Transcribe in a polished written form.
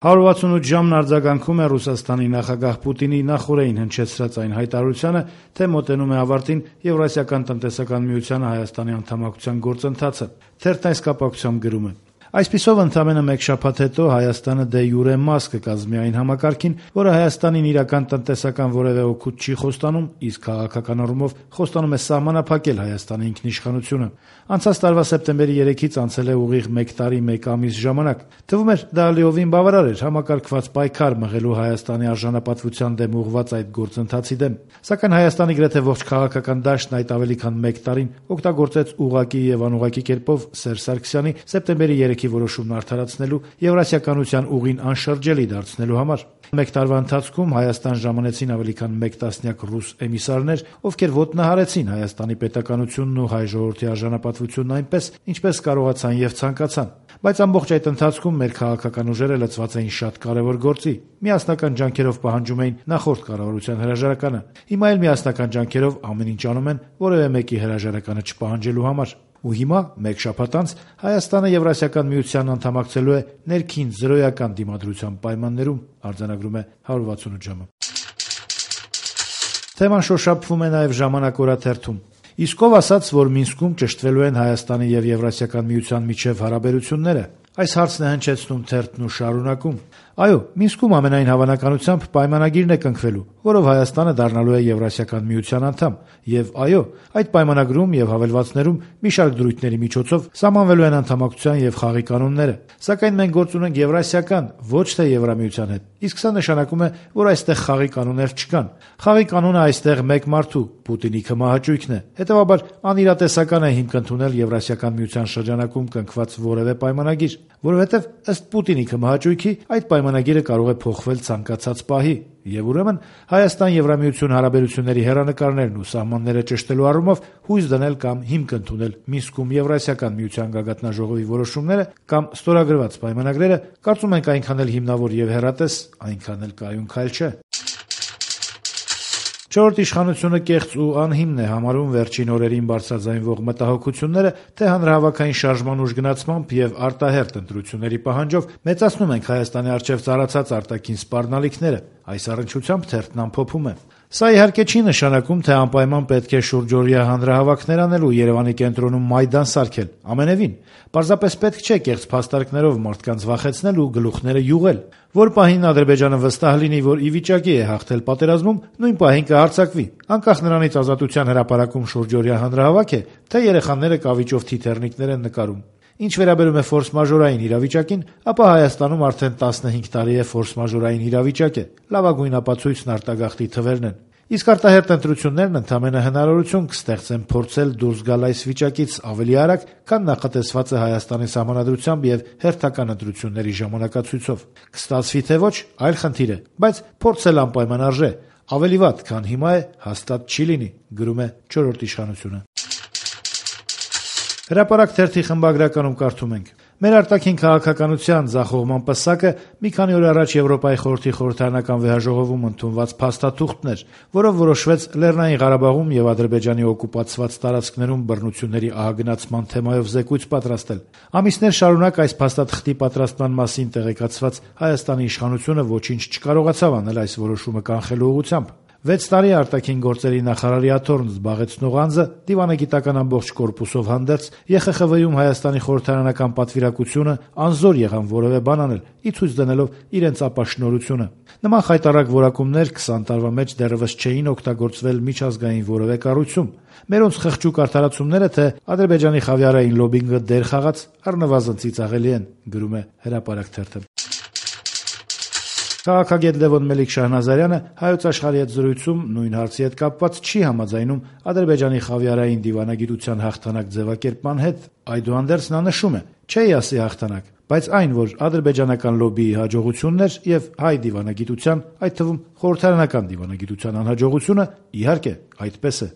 168 ժամն արձագանքում է Ռուսաստանի նախագահ Պուտինի նախօրեին հնչեցրած այն հայտարարությանը, թե մոտենում է ավարտին Եվրասիական տնտեսական միությանը Հայաստանի անդամակցության գործընթացը։ Թերթն այս կապակցությամբ գրում է. Այսպիսով ընդամենը մեկ շաբաթ հետո Հայաստանը դե յուրե մաս կկազմի այն համակարգին, որը Հայաստանին իրական տնտեսական որևէ օգուտ չի խոստանում, իսկ քաղաքական առումով խոստանում է սահմանափակել Հայաստանի ինքնիշխանությունը։ Անցած տարվա սեպտեմբերի 3-ից անցել է ուղիղ 1 տարի 1 ամիս ժամանակ։ Թվում էր դա լիովին բավարար էր համակարգված պայքար մղելու Հայաստանի արժանապատվության դեմ ուղղված այդ գործընթացի դեմ։ Սակայն Հայաստանի գրեթե ողջ քաղաքական դաշտն այդ ավելի քան 1 տարին օգտագործեց ուղղակի եւ անուղղակի կերպով Սերժ Սարգսյանի սեպտեմբերի 3-ի որոշումն արդարացնելու, Եվրասիականության ուղին անշրջելի դարձնելու համար։ 1 տարվա ընթացքում Հայաստան ժամանեցին ավելի քան 1 տասնյակ ռուս էմիսարներ, ովքեր ոտնահարեցին Հայաստանի պետականությունն ու հայ ժողովրդի արժանապատվությունն այնպես, ինչպես կարողացան եւ ցանկացան։ Բայց ամբողջ այդ ընթացքում մեր քաղաքական ուժերը լծված էին շատ կարևոր գործի։ Միասնական ջանքերով պահանջում էին նախորդ կառավարության հրաժարականը։ Հիմա էլ միասնական ջանքերով ամեն ինչ անում են որևէ մեկի հրաժարականը չպահանջելու համար։ Ու հիմա, մեկ շաբաթ անց, Հայաստանը Եվրասիական միությանն անդամակցելու է ներքին զրոյական դիմադրության պայմաններում, արձանագրում է 168 ժամը։ Թեման շոշափվում է նաև «Ժամանակ» օրաթերթում։ Իսկ ով ասաց, որ Մինսկում ճշտվելու են Հայաստանի եւ Եվրասիական միության միջև հարաբերությունները։ Այս հարցն է հնչեցնում թերթն ու շարունակում. Այո, Մինսկում ամենայն հավանականությամբ պայմանագիրն է կնքվելու, որով Հայաստանը դառնալու է Եվրասիական միության անդամ, եւ այո, այդ պայմանագրում եւ հավելվածներում մի շարք դրույթների միջոցով սահմանվելու են անդամակցության եւ խաղի կանոնները։ Սակայն մենք գործ ունենք Եվրասիական, ոչ թե Եվրամիության հետ։ Իսկ սա նշանակում է, որ այստեղ խաղի կանոններ չկան։ Խաղի կանոնը այստեղ մեկ մարդու՝ Պուտինի քմահաճույքն է։ Հետևաբար անիրատեսական է հիմք ընդունել Եվրասիական միության շրջանակում կնքված որևէ պայմանագիր, որովհետեւ ըստ Պուտինի քմահաճույքի այդ պայմանագիրը կարող է փոխվել ցանկացած պահի, եւ ուրեմն Հայաստան-Եվրամիություն հարաբերությունների հեռանկարներն ու սահմանները ճշտելու առումով հույս դնել կամ հիմք ընդունել Մինսկում Եվրասիական միության գագաթնաժողովի որոշումները կամ ստորագրված պայմանագրերը, կարծում ենք այնքան էլ հիմնավոր եւ հեռատես, այնքան էլ կայուն քայլ չէ։ Չորրորդ իշխանությունը կեղծ ու անհիմն է համարում վերջին օրերին բարձրաձայնվող մտահոգությունները, թե հանրահավաքային շարժման ուժգնացմամբ եւ արտահերթ ընտրությունների պահանջով մեծացնում ենք Հայաստանի առջեւ ծառացած արտաքին սպառնալիքները։ Այս առնչությամբ թերթն ամփոփում է. Սա իհարկե չի նշանակում, թե անպայման պետք է շուրջօրյա հանրահավաքներ անել ու Երևանի կենտրոնում մայդան սարքել։ Ամենևին, պարզապես պետք չէ կեղծ փաստարկներով մարդկանց վախեցնել ու գլուխները յուղել։ Որ պահին Ադրբեջանը վստահ լինի, որ ի վիճակի է հաղթել պատերազմում, նույն պահին կհարձակվի, անկախ նրանից ազատության հրապարակում շուրջօրյա հանրահավաք է, թե երեխաները կավիճով թիթեռնիկներ են նկարում։ Ինչ վերաբերում է ֆորս-մաժորային իրավիճակին, ապա Հայաստանում արդեն 15 տարի է ֆորս-մաժորային իրավիճակ է։ Լավագույն ապացույցն արտագաղթի թվերն են։ Իսկ արտահերթ ընտրություններն ընդամենը հնարավորություն կստեղծեն փորձել դուրս գալ այս վիճակից ավելի արագ, քան նախատեսված է Հայաստանի սահմանադրությամբ եւ հերթական ընտրությունների ժամանակացույցով։ Կստացվի թե ոչ, այլ խնդիր է, բայց փորձել անպայման արժե։ Ավելի վատ, քան հիմա է, հաստատ չի լինի, գրում է չորրորդ իշխանությունը։ Հրապարակ թերթի խմբագրականում կարդում ենք. Մեր արտաքին քաղաքականության ձախողման պսակը մի քանի օր առաջ Եվրոպայի խորհրդի խորհրդարանական վեհաժողովում ընդունված փաստաթուղթն էր, որով որոշվեց Լեռնային Ղարաբաղում եւ Ադրբեջանի օկուպացված տարածքներում բռնությունների ահագնացման թեմայով զեկույց պատրաստել։ Ամիսներ շարունակ այս փաստաթղթի պատրաստման մասին տեղեկացված Հայաստանի իշխանությունը ոչինչ չկարողացավ անել այս որոշումը կանխելու ուղղությամբ։ 6 տարի արտաքին գործերի նախարարի աթոռն զբաղեցնող անձը դիվանագիտական ամբողջ կորպուսով հանդերձ ԵԽԽՎ-ում Հայաստանի խորհրդարանական պատվիրակությունը անզոր եղան որևէ բան անել, ի ցույց դնելով իրենց ապաշնորհությունը։ Նման խայտառակ որակումներ 20 տարվա մեջ դեռևս չէին օգտագործվել միջազգային որևէ կառույցում։ Մերոնց խղճուկ արդարացումները, թե Ադրբեջանի խավիարային լոբինգը դեր խաղաց, առնվազն ծիծաղելի են, գրում է Հրապարակ թերթը։ Քաղաքագետ Լևոն Մելիք-Շահնազարյանը Հայոց աշխարհի հետ զրույցում նույն հարցի հետ կապված չի համաձայնում Ադրբեջանի խավիարային դիվանագիտության հաղթանակ ձևակերպման հետ։ Այդուհանդերձ նա նշում է. «Չէի ասի հաղթանակ, բայց այն, որ ադրբեջանական լոբիի հաջողությունն էր եւ հայ դիվանագիտության, այդ թվում խորհրդարանական դիվանագիտության անհաջողությունը, իհարկե, այդպես է»։